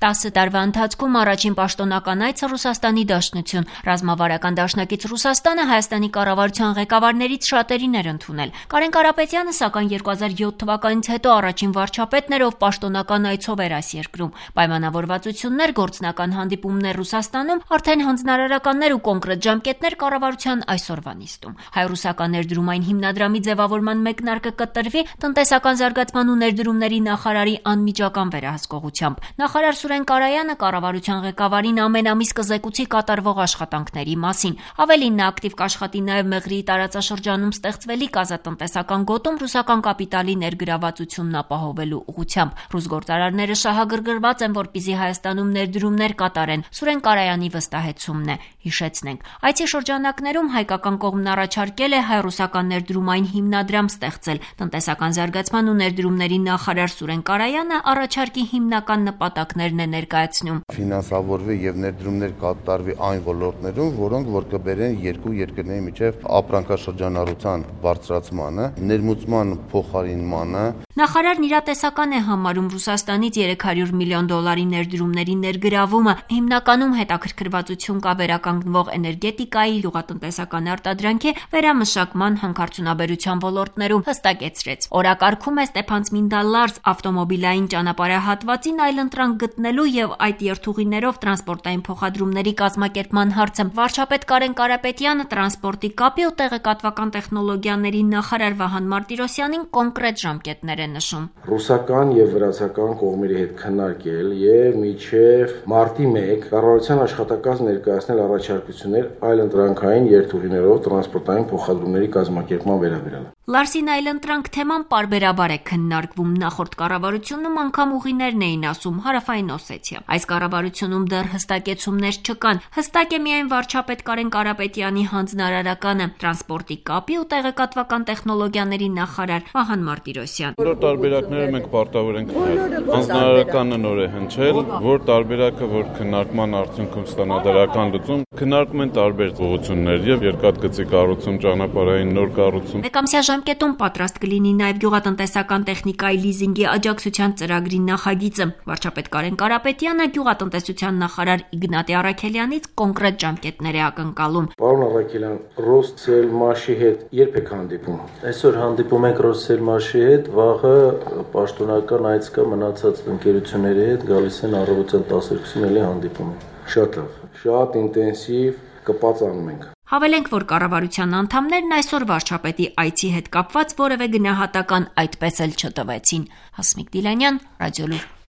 10 տարվա ընթացքում առաջին պաշտոնական այցը Ռուսաստանի Դաշնություն։ Ռազմավարական դաշնակից Ռուսաստանը Հայաստանի կառավարության ղեկավարներից շատերին էր ընդունել։ Կարեն Կարապետյանը, սակայն 2007 թվականից հետո առաջին վարչապետն էր, ով պաշտոնական այցով էր այս երկրում։ Պայմանավորվածություններ, գործնական հանդիպումներ Ռուսաստանում, արդեն հանձնարարականներ ու կոնկրետ ժամկետներ կառավարության այսօրվա նիստում։ Հայ-ռուսական ներդրումային հիմնադրամի ձևավորման մեկնարկը կտրվի տնտեսական զարգացման ու ներդրումների նախարարի անմիջական վերահսկողությամբ։ Նախարար Սուրեն Կարայանը կառավարության ղեկավարին ամեն ամիս կզեկուցի կատարվող աշխատանքների մասին։ Ավելին, նա ակտիվ կաշխատի նաև Մեղրիի տարածաշրջանում ստեղծվելիք ազատտնտեսական գոտում ռուսական կապիտալի ներգրավվածությունն ապահովելու ուղղությամբ։ Ռուս գործարարները շահագրգռված են, որպեսզի Հայաստանում ներդրումներ կատարեն։ Սուրեն Կարայանի վստահեցումն է։ Հիշեցնենք, այցի շրջանակներում հայկական կողմն առաջարկել է հայ-ռուսական ներդրումային հիմնադրամ ստեղծել։ Տնտեսական զարգացման ու ներդրումների նախարար Սուրեն Կարայանը առաջարկի հիմնական նպատակներն է ներկայացնում։ Ֆինանսավորվի եւ ներդրումներ կատարվի այն ոլորտներում, որոնք որ կբերեն երկու երկրների միջև ապրանքաշրջանառության բարձրացմանը, ներմուծման փոխարինմանը։ Նախարարն իրատեսական է համարում Ռուսաստանից $300 միլիոն ներդրումների ներգրավումը։ Հիմնականում հետաքրքրվածություն կա վերականգնվող էներգետիկայի, գյուղատնտեսական արտադրանքի, վերամշակման, հանքարդյունաբերության ոլորտներում, հստակեցրեց։ Օրակարգում է Ստեփանցմինդա-Լարս ավտոմոբիլային ճանապարհահատվածին այլընտրանք գտնելու եւ այդ երթուղիներով տրանսպորտային փոխադրումների կազմակերպման հարցը։ Վարչապետ Կարեն Կարապետյանը տրանսպորտի կապի ու տեղեկատվական տեխնոլոգիաների նախարար Վահան Մարտիրոսյանին կոնկրետ ժամկետներ է նշում։ Ռուսական եւ վրացական կողմերի հետ քննարկել եւ մինչեւ մարտի 1 կառավարության աշխատակազմ ներկայացնել առաջարկություններ այլընտրանքային երթուղիներով տրանսպորտային փոխադրումների կազմակերպման վերաբերյալ։ Լարսին այլընտրանք թեման պարբերաբար է քննարկվում։ Նախորդ կառավարությունում անգամ ուղիներն էին ասում Հարավային Օսեթիա։ Այս կառավարությունում դեռ հստակեցումներ չկան։ Հստակ է միայն վարչապետ Կարեն Կարապետյանի հանձնարարականը, տրանսպորտի կապի ու տեղեկատվական տեխնոլոգիաների նախարար Վահան Մարտիրոսյան։ Որ տարբերակները մենք պարտավոր ենք քննել։ Հանձնարարականը նոր է հնչել, որ տարբերակը որ քննարկման արդյունքում ստանա դրական լուծում, քննարկում են տարբեր ուղղություններ եւ երկաթգծի կառուցում, ճանապարհային նոր կառուցում։ Մեկամսյա ժամկետում պատրաստ կլինի նաև գյուղատնտեսական տեխնիկայի լիզինգի աջակցության ծրագրի նախագիծը։ Վարչապետ Կարեն Կարապետյանը գյուղատնտեսության նախարար Իգնատի Առաքելյանից կոնկրետ ժամկետներ է ակնկալում։ Պարոն Առաքելյան, Ռոսսելմաշի հետ երբ եք հանդիպում։ Այսօր հանդիպում ենք Ռոսսելմաշի հետ, վաղը պաշտոնական այց կա մնացած ընկերությունների հետ, գալիս են առավոտյան 12-ին էլի հանդիպում ենք։ Շատ լավ, շատ ինտենսիվ կպածանում ենք։ Հավելենք, որ կառավարության անդամներն այսօր վարչապետի այցի հետ կապված որևէ գնահատական այդպես էլ չտվեցին։ Հասմիկ Դիլանյան, Ռադիոլուր։